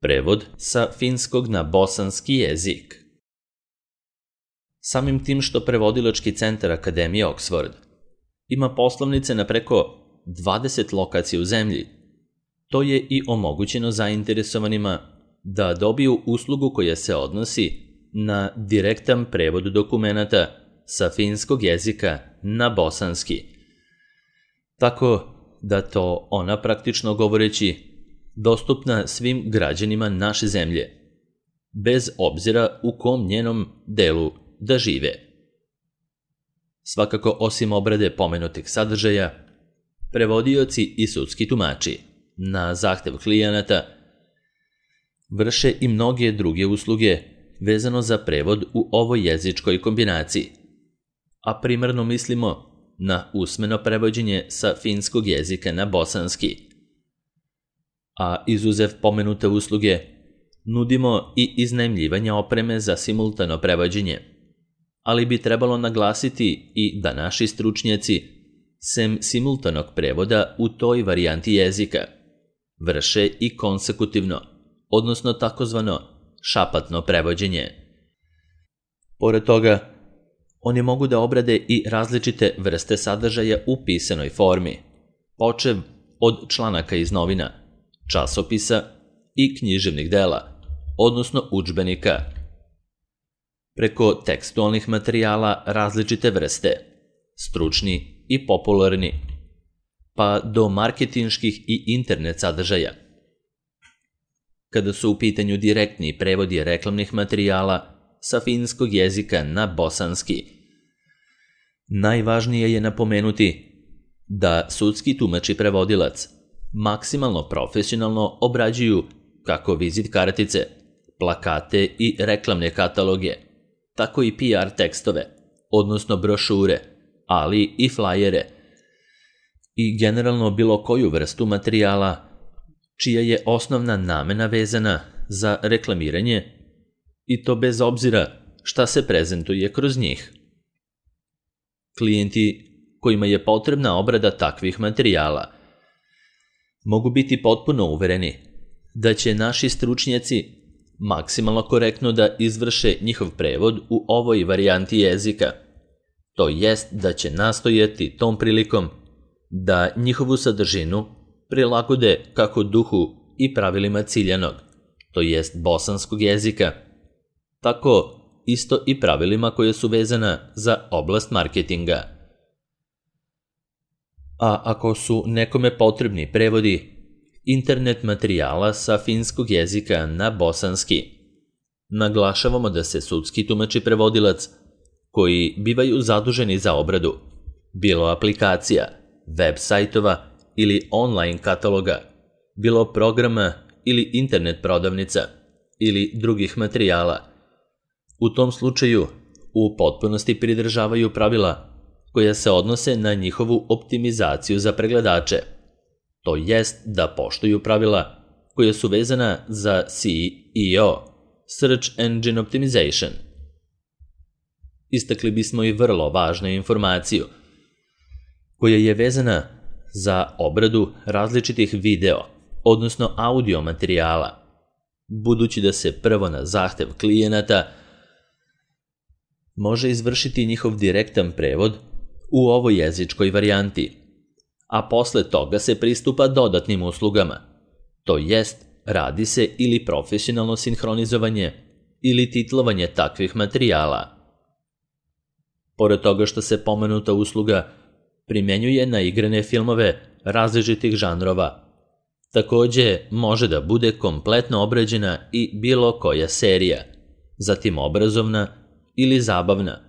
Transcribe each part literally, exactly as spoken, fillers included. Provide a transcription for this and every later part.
Prevod sa finskog na bosanski jezik. Samim tim što Prevodilački centar Akademije Oxford ima poslovnice na preko dvadeset lokacija u zemlji, to je i omogućeno zainteresovanima da dobiju uslugu koja se odnosi na direktan prevod dokumenata sa finskog jezika na bosanski. Tako da to ona, praktično govoreći, dostupna svim građanima naše zemlje, bez obzira u kom njenom delu da žive. Svakako, osim obrade pomenutih sadržaja, prevodioci i sudski tumači na zahtev klijenata vrše i mnoge druge usluge vezano za prevod u ovoj jezičkoj kombinaciji, a primarno mislimo na usmeno prevođenje sa finskog jezika na bosanski. A izuzev pomenute usluge, nudimo i iznajmljivanje opreme za simultano prevođenje, ali bi trebalo naglasiti i da naši stručnjaci, sem simultanog prevoda u toj varijanti jezika, vrše i konsekutivno, odnosno takozvano šapatno prevođenje. Pored toga, oni mogu da obrade i različite vrste sadržaja u pisanoj formi, počev od članaka iz novina, časopisa i književnih dela, odnosno udžbenika, preko tekstualnih materijala različite vrste, stručni i popularni, pa do marketinških i internet sadržaja. Kada su u pitanju direktni prevodi reklamnih materijala sa finskog jezika na bosanski, najvažnije je napomenuti da sudski tumač i prevodilac maksimalno profesionalno obrađuju kako vizit kartice, plakate i reklamne kataloge, tako i P R tekstove, odnosno brošure, ali i flajere i generalno bilo koju vrstu materijala čija je osnovna namena vezana za reklamiranje, i to bez obzira šta se prezentuje kroz njih. Klijenti kojima je potrebna obrada takvih materijala mogu biti potpuno uvereni da će naši stručnjaci maksimalno korektno da izvrše njihov prevod u ovoj varijanti jezika, to jest da će nastojati tom prilikom da njihovu sadržinu prilagode kako duhu i pravilima ciljanog, to jest bosanskog jezika, tako isto i pravilima koje su vezana za oblast marketinga. A ako su nekome potrebni prevodi internet materijala sa finskog jezika na bosanski, naglašavamo da se sudski tumač i prevodilac, koji bivaju zaduženi za obradu bilo aplikacija, web sajtova ili online kataloga, bilo programa ili internet prodavnica ili drugih materijala, u tom slučaju u potpunosti pridržavaju pravila koja se odnose na njihovu optimizaciju za pregledače, to jest da poštuju pravila koja su vezana za S E O, Search Engine Optimization. Istakli bismo i vrlo važnu informaciju koja je vezana za obradu različitih video, odnosno audio materijala, budući da se prvo na zahtev klijenata može izvršiti njihov direktan prevod u ovoj jezičkoj varijanti, a posle toga se pristupa dodatnim uslugama, to jest radi se ili profesionalno sinhronizovanje ili titlovanje takvih materijala. Pored toga što se pomenuta usluga primenjuje na igrane filmove različitih žanrova, takođe može da bude kompletno obrađena i bilo koja serija, zatim obrazovna ili zabavna,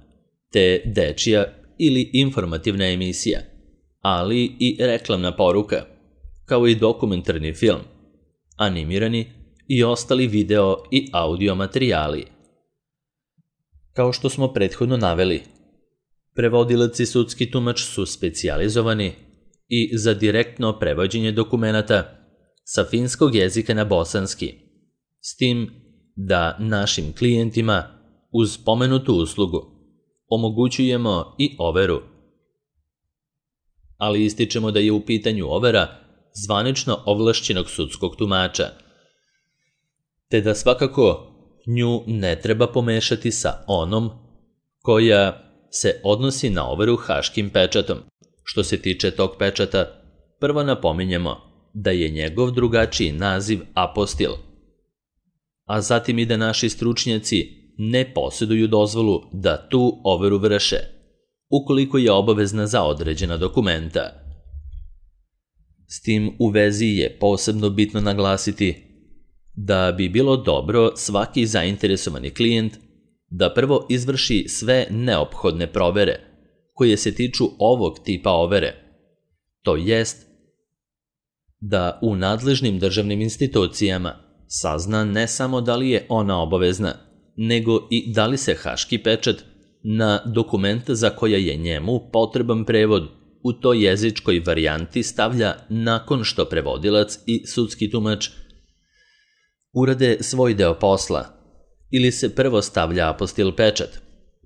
te dečija ili informativna emisija, ali i reklamna poruka, kao i dokumentarni film, animirani i ostali video i audio materijali. Kao što smo prethodno naveli, prevodilac i sudski tumač su specijalizovani i za direktno prevođenje dokumenata sa finskog jezika na bosanski, s tim da našim klijentima uz pomenutu uslugu omogućujemo i overu. Ali ističemo da je u pitanju overa zvanično ovlašćenog sudskog tumača, te da svakako nju ne treba pomešati sa onom koja se odnosi na overu haškim pečatom. Što se tiče tog pečata, prvo napominjemo da je njegov drugačiji naziv apostil, a zatim i da naši stručnjaci ne posjeduju dozvolu da tu overu vrše, ukoliko je obavezna za određena dokumenta. S tim u vezi je posebno bitno naglasiti da bi bilo dobro svaki zainteresovani klijent da prvo izvrši sve neophodne provere koje se tiču ovog tipa overe, to jest da u nadležnim državnim institucijama sazna ne samo da li je ona obavezna, nego i da li se haški pečat na dokument za koja je njemu potreban prevod u toj jezičkoj varijanti stavlja nakon što prevodilac i sudski tumač urade svoj deo posla, ili se prvo stavlja apostil pečat,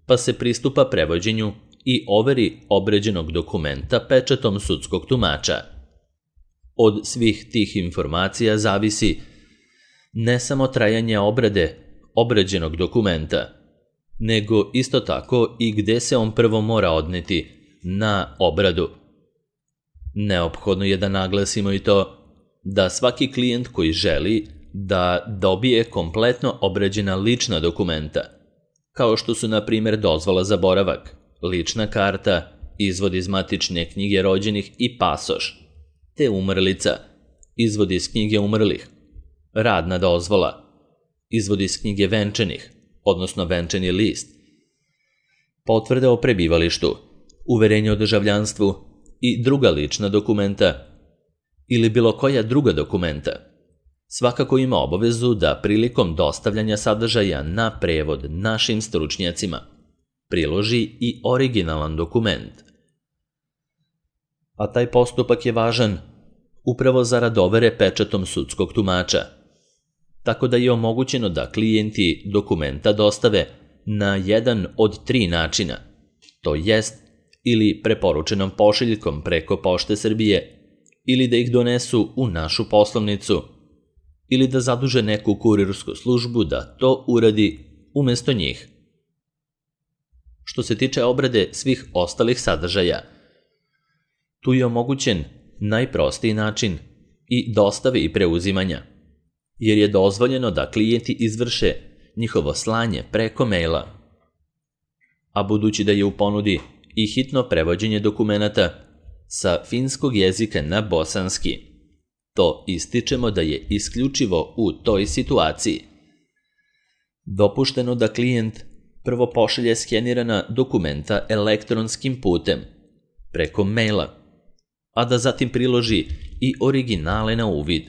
pa se pristupa prevođenju i overi obređenog dokumenta pečatom sudskog tumača. Od svih tih informacija zavisi ne samo trajanje obrade obređenog dokumenta, nego isto tako i gde se on prvo mora odneti na obradu. Neophodno je da naglasimo i to da svaki klijent koji želi da dobije kompletno obrađena lična dokumenta, kao što su na primjer dozvola za boravak, lična karta, izvod iz matične knjige rođenih i pasoš, te umrlica, izvod iz knjige umrlih, radna dozvola, izvod iz knjige venčanih, odnosno venčani list, potvrde o prebivalištu, uverenje o državljanstvu i druga lična dokumenta ili bilo koja druga dokumenta, svakako ima obavezu da prilikom dostavljanja sadržaja na prevod našim stručnjacima priloži i originalan dokument. A taj postupak je važan upravo zarad overe pečatom sudskog tumača, tako da je omogućeno da klijenti dokumenta dostave na jedan od tri načina, to jest ili preporučenom pošiljkom preko Pošte Srbije, ili da ih donesu u našu poslovnicu, ili da zaduže neku kurirsku službu da to uradi umjesto njih. Što se tiče obrade svih ostalih sadržaja, tu je omogućen najprostiji način i dostave i preuzimanja, jer je dozvoljeno da klijenti izvrše njihovo slanje preko maila. A budući da je u ponudi i hitno prevođenje dokumenata sa finskog jezika na bosanski, to ističemo da je isključivo u toj situaciji dopušteno da klijent prvo pošalje skenirana dokumenta elektronskim putem, preko maila, a da zatim priloži i originale na uvid.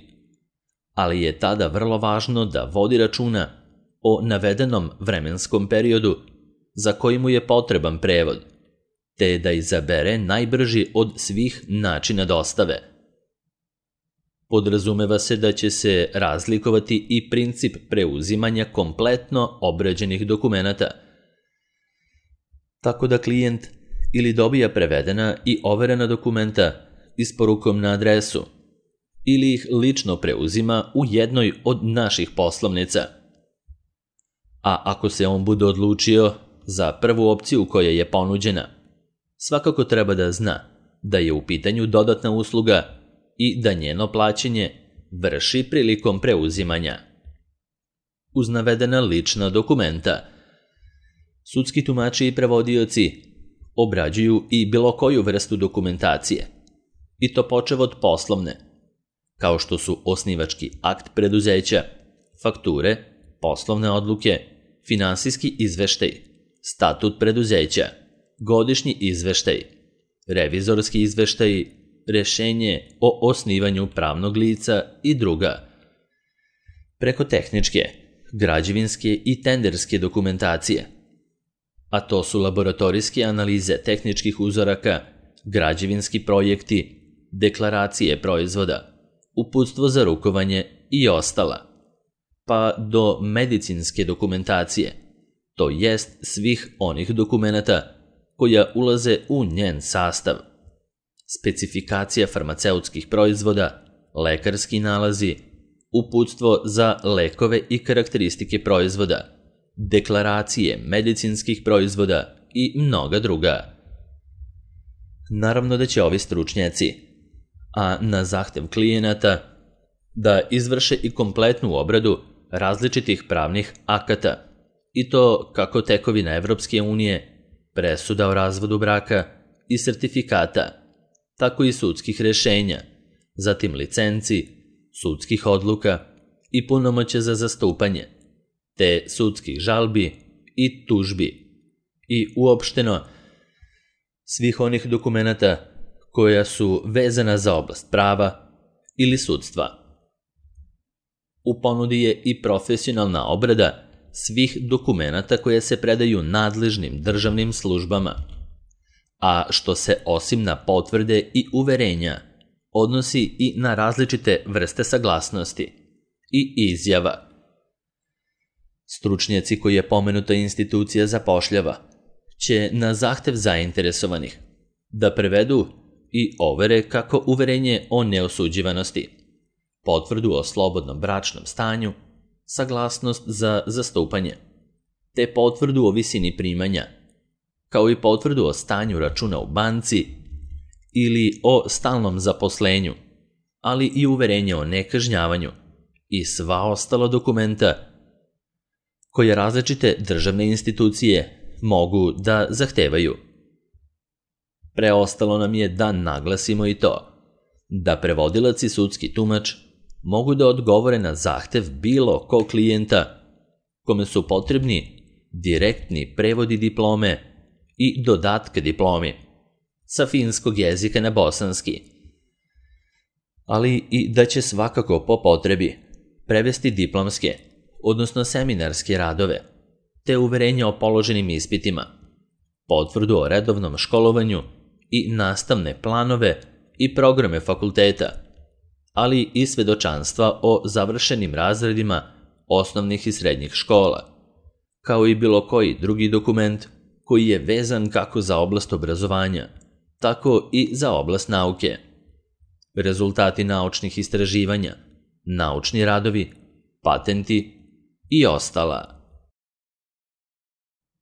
Ali je tada vrlo važno da vodi računa o navedenom vremenskom periodu za koji mu je potreban prevod, te da izabere najbrži od svih načina dostave. Podrazumeva se da će se razlikovati i princip preuzimanja kompletno obrađenih dokumenata, tako da klijent ili dobija prevedena i overena dokumenta isporukom na adresu, ili ih lično preuzima u jednoj od naših poslovnica. A ako se on bude odlučio za prvu opciju koja je ponuđena, svakako treba da zna da je u pitanju dodatna usluga i da njeno plaćanje vrši prilikom preuzimanja. Uz navedena lična dokumenta, sudski tumači i prevodioci obrađuju i bilo koju vrstu dokumentacije, i to počev od poslovne, kao što su osnivački akt preduzeća, fakture, poslovne odluke, finansijski izveštaj, statut preduzeća, godišnji izveštaj, revizorski izveštaj, rešenje o osnivanju pravnog lica i druga, preko tehničke, građevinske i tenderske dokumentacije, a to su laboratorijske analize tehničkih uzoraka, građevinski projekti, deklaracije proizvoda, uputstvo za rukovanje i ostala, pa do medicinske dokumentacije, to jest svih onih dokumenata koja ulaze u njen sastav, specifikacija farmaceutskih proizvoda, lekarski nalazi, uputstvo za lekove i karakteristike proizvoda, deklaracije medicinskih proizvoda i mnoga druga. Naravno da će ovi stručnjaci, a na zahtev klijenata, da izvrše i kompletnu obradu različitih pravnih akata, i to kako tekovina Evropske unije, presuda o razvodu braka i sertifikata, tako i sudskih rešenja, zatim licenci, sudskih odluka i punomoćja za zastupanje, te sudskih žalbi i tužbi i uopšteno svih onih dokumenata koja su vezana za oblast prava ili sudstva. U ponudi je i profesionalna obrada svih dokumenata koje se predaju nadležnim državnim službama, a što se osim na potvrde i uverenja odnosi i na različite vrste saglasnosti i izjava. Stručnjaci koji je pomenuta institucija zapošljava će na zahtev zainteresovanih da prevedu i overe kako uverenje o neosuđivanosti, potvrdu o slobodnom bračnom stanju, saglasnost za zastupanje, te potvrdu o visini primanja, kao i potvrdu o stanju računa u banci ili o stalnom zaposlenju, ali i uverenje o nekažnjavanju i sva ostala dokumenta koje različite državne institucije mogu da zahtevaju. Preostalo nam je da naglasimo i to da prevodilac i sudski tumač mogu da odgovore na zahtev bilo kog klijenta kome su potrebni direktni prevodi diplome i dodatke diplomi sa finskog jezika na bosanski, ali i da će svakako po potrebi prevesti diplomske, odnosno seminarske radove, te uverenje o položenim ispitima, potvrdu o redovnom školovanju i nastavne planove i programe fakulteta, ali i svedočanstva o završenim razredima osnovnih i srednjih škola, kao i bilo koji drugi dokument koji je vezan kako za oblast obrazovanja, tako i za oblast nauke. Rezultati naučnih istraživanja, naučni radovi, patenti i ostala.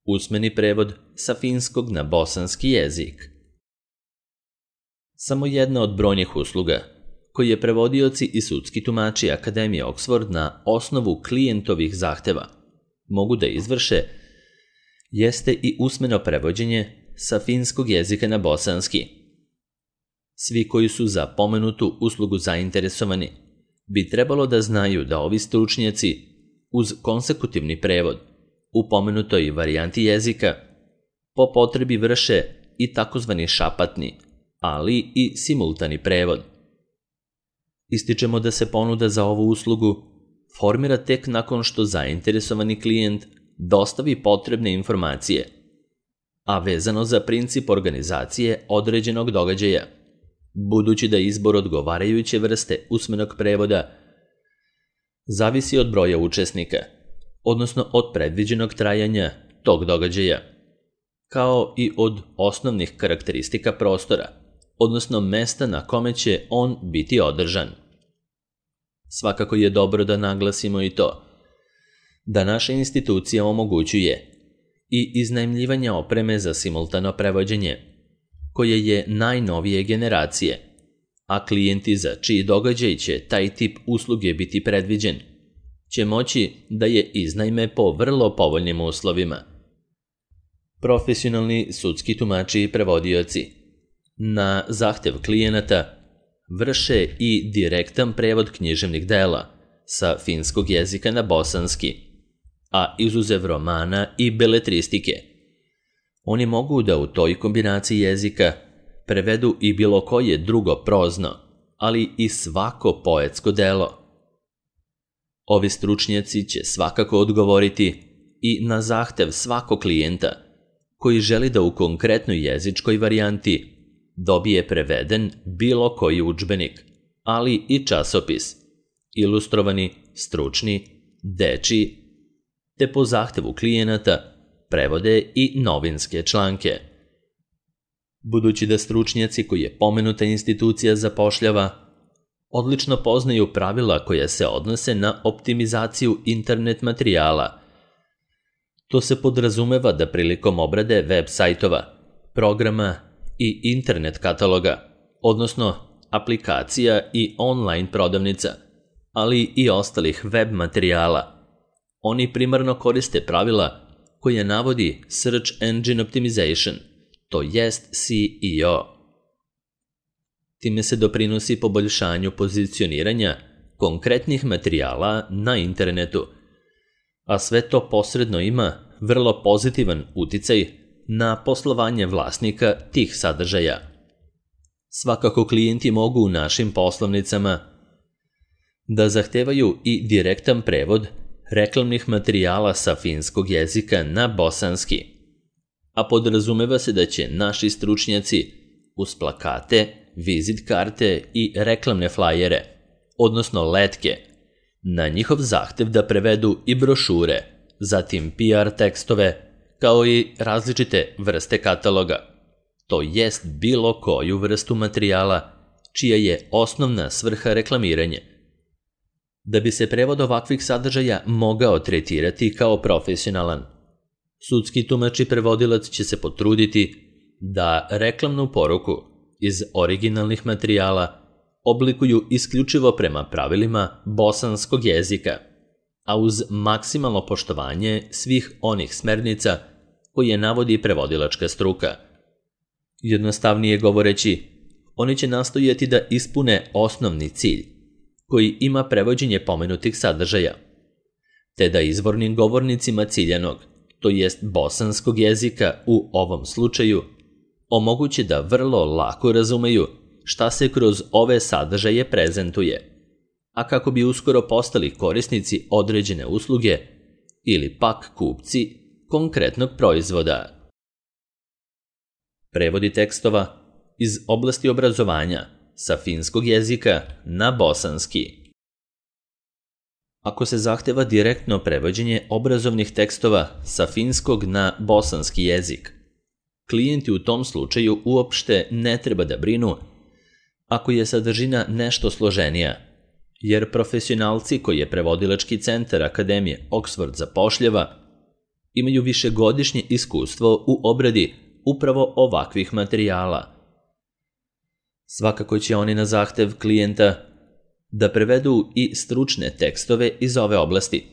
Usmeni prevod sa finskog na bosanski jezik. Samo jedna od brojnih usluga koji je prevodioci i sudski tumači Akademije Oxford na osnovu klijentovih zahteva mogu da izvrše jeste i usmeno prevođenje sa finskog jezika na bosanski. Svi koji su za pomenutu uslugu zainteresovani bi trebalo da znaju da ovi stručnjaci uz konsekutivni prevod u pomenutoj varijanti jezika po potrebi vrše i takozvani šapatni, ali i simultani prevod. Ističemo da se ponuda za ovu uslugu formira tek nakon što zainteresovani klijent dostavi potrebne informacije, a vezano za princip organizacije određenog događaja, budući da izbor odgovarajuće vrste usmenog prevoda zavisi od broja učesnika, odnosno od predviđenog trajanja tog događaja, kao i od osnovnih karakteristika prostora, odnosno mesta na kome će on biti održan. Svakako je dobro da naglasimo i to da naša institucija omogućuje i iznajmljivanje opreme za simultano prevođenje, koje je najnovije generacije, a klijenti za čiji događaj će taj tip usluge biti predviđen, će moći da je iznajme po vrlo povoljnim uslovima. Profesionalni sudski tumači i prevodioci na zahtev klijenata vrše i direktan prevod književnih dela sa finskog jezika na bosanski, a izuzev romana i beletristike. Oni mogu da u toj kombinaciji jezika prevedu i bilo koje drugo prozno, ali i svako poetsko delo. Ovi stručnjaci će svakako odgovoriti i na zahtev svakog klijenta koji želi da u konkretnoj jezičkoj varijanti dobije preveden bilo koji udžbenik, ali i časopis, ilustrovani, stručni, dečiji, te po zahtevu klijenata prevode i novinske članke. Budući da stručnjaci koji je pomenuta institucija zapošljava odlično poznaju pravila koja se odnose na optimizaciju internet materijala. To se podrazumeva da prilikom obrade web sajtova, programa i internet kataloga, odnosno aplikacija i online prodavnica, ali i ostalih web materijala, oni primarno koriste pravila koje navodi Search Engine Optimization, to jest S E O. Time se doprinosi poboljšanju pozicioniranja konkretnih materijala na internetu, a sve to posredno ima vrlo pozitivan uticaj na poslovanje vlasnika tih sadržaja. Svakako klijenti mogu u našim poslovnicama da zahtevaju i direktan prevod reklamnih materijala sa finskog jezika na bosanski, a podrazumeva se da će naši stručnjaci uz plakate, vizit karte i reklamne flajere, odnosno letke, na njihov zahtev da prevedu i brošure, zatim P R tekstove, kao i različite vrste kataloga, to jest bilo koju vrstu materijala čija je osnovna svrha reklamiranje. Da bi se prevod ovakvih sadržaja mogao tretirati kao profesionalan, sudski tumač i prevodilac će se potruditi da reklamnu poruku iz originalnih materijala oblikuju isključivo prema pravilima bosanskog jezika, a uz maksimalno poštovanje svih onih smernica koje navodi prevodilačka struka. Jednostavnije govoreći, oni će nastojati da ispune osnovni cilj, koji ima prevođenje pomenutih sadržaja, te da izvornim govornicima ciljanog, to jest bosanskog jezika u ovom slučaju, omoguće da vrlo lako razumeju šta se kroz ove sadržaje prezentuje, a kako bi uskoro postali korisnici određene usluge ili pak kupci konkretnog proizvoda. Prevodi tekstova iz oblasti obrazovanja sa finskog jezika na bosanski. Ako se zahteva direktno prevođenje obrazovnih tekstova sa finskog na bosanski jezik, klijenti u tom slučaju uopšte ne treba da brinu ako je sadržina nešto složenija, jer profesionalci koji je prevodilački centar Akademije Oxford zapošljava imaju višegodišnje iskustvo u obradi upravo ovakvih materijala. Svakako će oni na zahtev klijenta da prevedu i stručne tekstove iz ove oblasti,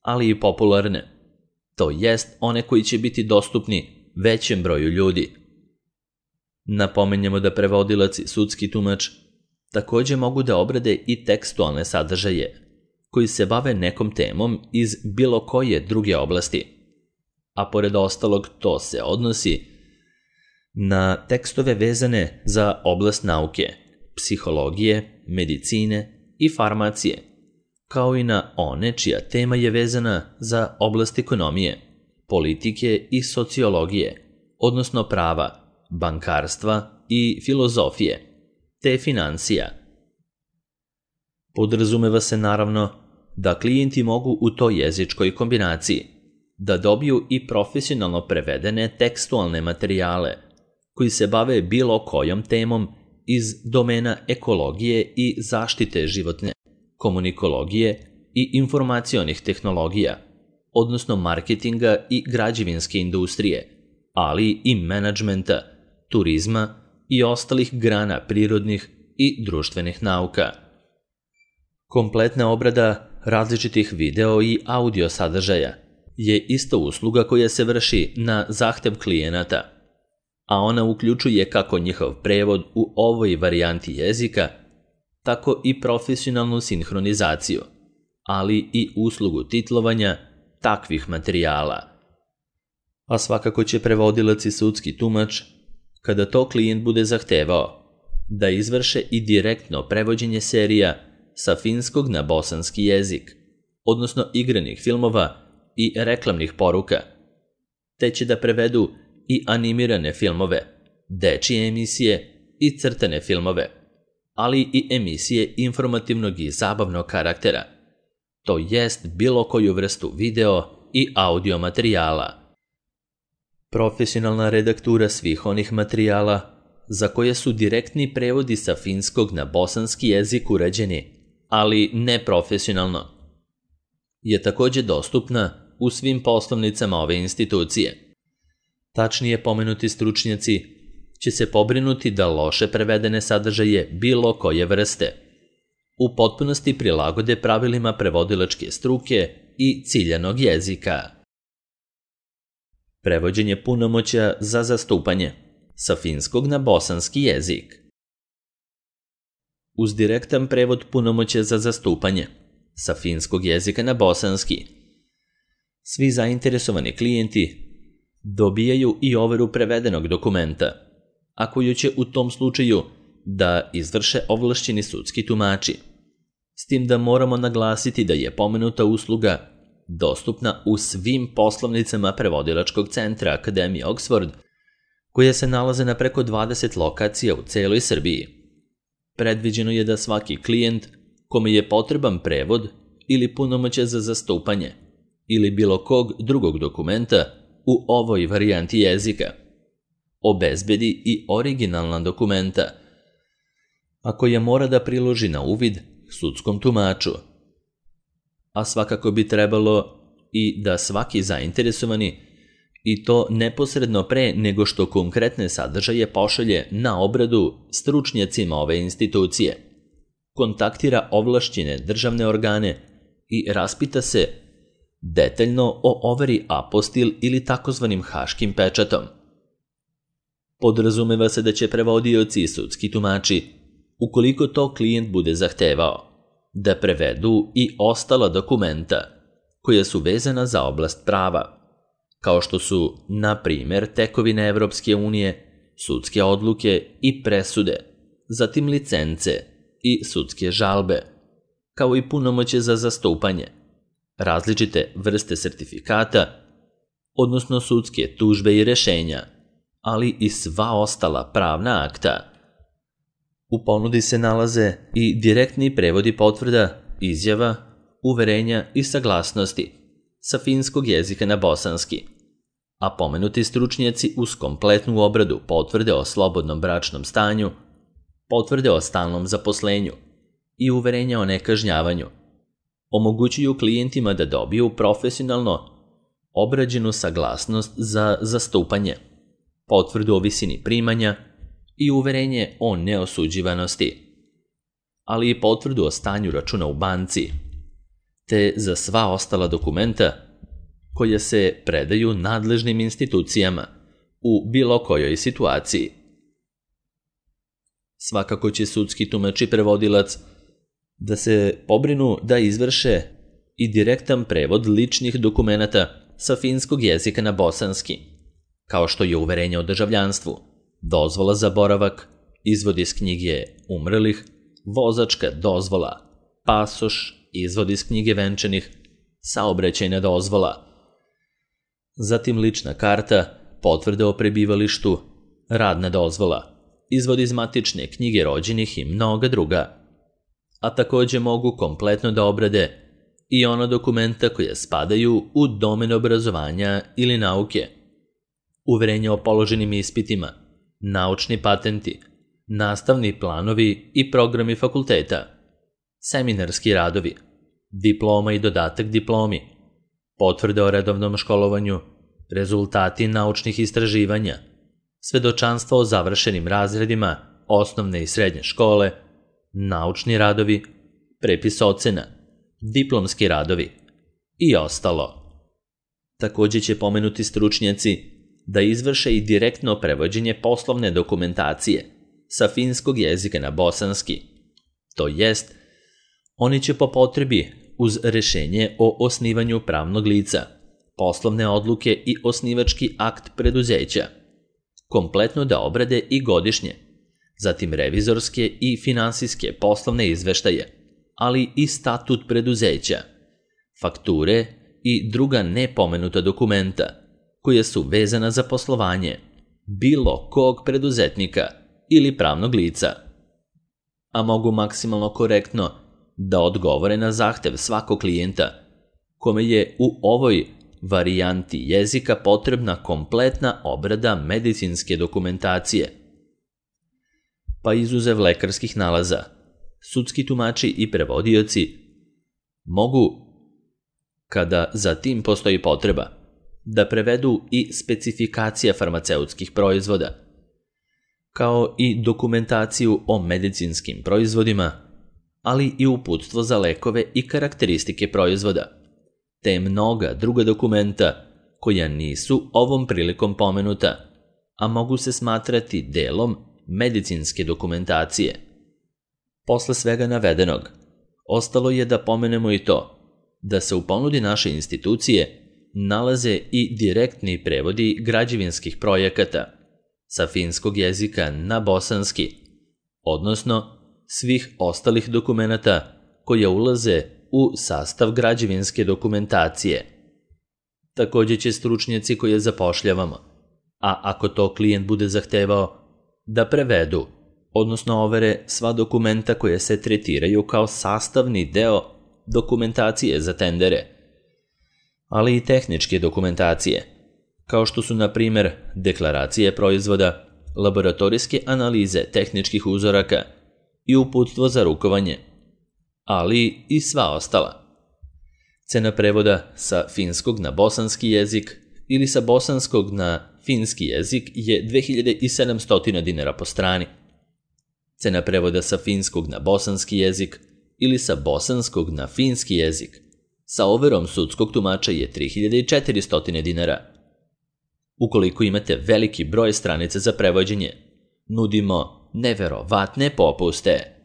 ali i popularne, to jest one koji će biti dostupni većem broju ljudi. Napomenjamo da prevodilac i sudski tumač također mogu da obrade i tekstualne sadržaje koji se bave nekom temom iz bilo koje druge oblasti, a pored ostalog to se odnosi na tekstove vezane za oblast nauke, psihologije, medicine i farmacije, kao i na one čija tema je vezana za oblast ekonomije, politike i sociologije, odnosno prava, bankarstva i filozofije, te financija. Podrazumeva se naravno da klijenti mogu u toj jezičkoj kombinaciji da dobiju i profesionalno prevedene tekstualne materijale koji se bave bilo kojom temom iz domena ekologije i zaštite životne, komunikologije i informacionih tehnologija, odnosno marketinga i građevinske industrije, ali i menadžmenta, turizma i ostalih grana prirodnih i društvenih nauka. Kompletna obrada različitih video i audio sadržaja je isto usluga koja se vrši na zahtev klijenata, a ona uključuje kako njihov prevod u ovoj varijanti jezika, tako i profesionalnu sinhronizaciju, ali i uslugu titlovanja takvih materijala. A svakako će prevodilac i sudski tumač, kada to klijent bude zahtevao, da izvrše i direktno prevođenje serija sa finskog na bosanski jezik, odnosno igranih filmova i reklamnih poruka, te će da prevedu i animirane filmove, dečije emisije i crtane filmove, ali i emisije informativnog i zabavnog karaktera, to jest bilo koju vrstu video i audio materijala. Profesionalna redaktura svih onih materijala za koje su direktni prevodi sa finskog na bosanski jezik urađeni, ali neprofesionalno, je također dostupna u svim poslovnicama ove institucije. Tačnije, pomenuti stručnjaci će se pobrinuti da loše prevedene sadržaje bilo koje vrste u potpunosti prilagode pravilima prevodilačke struke i ciljanog jezika. Prevođenje punomoćja za zastupanje sa finskog na bosanski jezik. Uz direktan prevod punomoćja za zastupanje sa finskog jezika na bosanski, svi zainteresovani klijenti dobijaju i overu prevedenog dokumenta, a koju će u tom slučaju da izvrše ovlašćeni sudski tumači. S tim da moramo naglasiti da je pomenuta usluga dostupna u svim poslovnicama prevodilačkog centra Akademije Oxford, koje se nalaze na preko dvadeset lokacija u celoj Srbiji. Predviđeno je da svaki klijent kome je potreban prevod ili punomoćje za zastupanje ili bilo kog drugog dokumenta u ovoj varijanti jezika obezbedi i originalna dokumenta, a koje mora da priloži na uvid sudskom tumaču. A svakako bi trebalo i da svaki zainteresovani, i to neposredno pre nego što konkretne sadržaje pošalje na obradu stručnjacima ove institucije, kontaktira ovlašćene državne organe i raspita se detaljno o overi apostil ili takozvanim haškim pečatom. Podrazumeva se da će prevodioci i sudski tumači, ukoliko to klijent bude zahtevao, da prevedu i ostala dokumenta koja su vezana za oblast prava, kao što su, na primjer, tekovine Evropske unije, sudske odluke i presude, zatim licence i sudske žalbe, kao i punomoćje za zastupanje, različite vrste sertifikata, odnosno sudske tužbe i rešenja, ali i sva ostala pravna akta. U ponudi se nalaze i direktni prevodi potvrda, izjava, uverenja i saglasnosti sa finskog jezika na bosanski, a pomenuti stručnjaci uz kompletnu obradu potvrde o slobodnom bračnom stanju, potvrde o stalnom zaposlenju i uverenja o nekažnjavanju omogućuju klijentima da dobiju profesionalno obrađenu saglasnost za zastupanje, potvrdu o visini primanja i uverenje o neosuđivanosti, ali i potvrdu o stanju računa u banci, te za sva ostala dokumenta koja se predaju nadležnim institucijama u bilo kojoj situaciji. Svakako će sudski tumač i prevodilac da se pobrinu da izvrše i direktan prevod ličnih dokumenata sa finskog jezika na bosanski, kao što je uverenje o državljanstvu, dozvola za boravak, izvod iz knjige umrlih, vozačka dozvola, pasoš, izvod iz knjige venčanih, saobraćajna dozvola, zatim lična karta, potvrda o prebivalištu, radna dozvola, izvod iz matične knjige rođenih i mnoga druga, a također mogu kompletno da obrade i ona dokumenta koja spadaju u domen obrazovanja ili nauke, uverenja o položenim ispitima, naučni patenti, nastavni planovi i programi fakulteta, seminarski radovi, diploma i dodatak diplomi, potvrde o redovnom školovanju, rezultati naučnih istraživanja, svedočanstvo o završenim razredima osnovne i srednje škole, naučni radovi, prepis ocena, diplomski radovi i ostalo. Također će pomenuti stručnjaci da izvrše i direktno prevođenje poslovne dokumentacije sa finskog jezika na bosanski, to jest, oni će po potrebi uz rešenje o osnivanju pravnog lica, poslovne odluke i osnivački akt preduzeća kompletno da obrade i godišnje, zatim revizorske i finansijske poslovne izveštaje, ali i statut preduzeća, fakture i druga nepomenuta dokumenta koja su vezana za poslovanje bilo kog preduzetnika ili pravnog lica, a mogu maksimalno korektno da odgovore na zahtev svakog klijenta kome je u ovoj varijanti jezika potrebna kompletna obrada medicinske dokumentacije, pa izuzev lekarskih nalaza, sudski tumači i prevodioci mogu, kada za tim postoji potreba, da prevedu i specifikacije farmaceutskih proizvoda, kao i dokumentaciju o medicinskim proizvodima, ali i uputstvo za lekove i karakteristike proizvoda, te mnoga druga dokumenta koja nisu ovom prilikom pomenuta, a mogu se smatrati delom medicinske dokumentacije. Posle svega navedenog, ostalo je da pomenemo i to da se u ponudi naše institucije nalaze i direktni prevodi građevinskih projekata sa finskog jezika na bosanski, odnosno svih ostalih dokumenata koja ulaze u sastav građevinske dokumentacije. Takođe će stručnjaci koje zapošljavamo, a ako to klijent bude zahtevao, da prevedu, odnosno overe sva dokumenta koje se tretiraju kao sastavni deo dokumentacije za tendere, ali i tehničke dokumentacije, kao što su, na primer, deklaracije proizvoda, laboratorijske analize tehničkih uzoraka i uputstvo za rukovanje, ali i sva ostala. Cena prevoda sa finskog na bosanski jezik ili sa bosanskog na finski jezik je dve hiljade sedamsto dinara po strani. Cena prevoda sa finskog na bosanski jezik ili sa bosanskog na finski jezik sa overom sudskog tumača je tri hiljade četiristo dinara. Ukoliko imate veliki broj stranica za prevođenje, nudimo neverovatne popuste.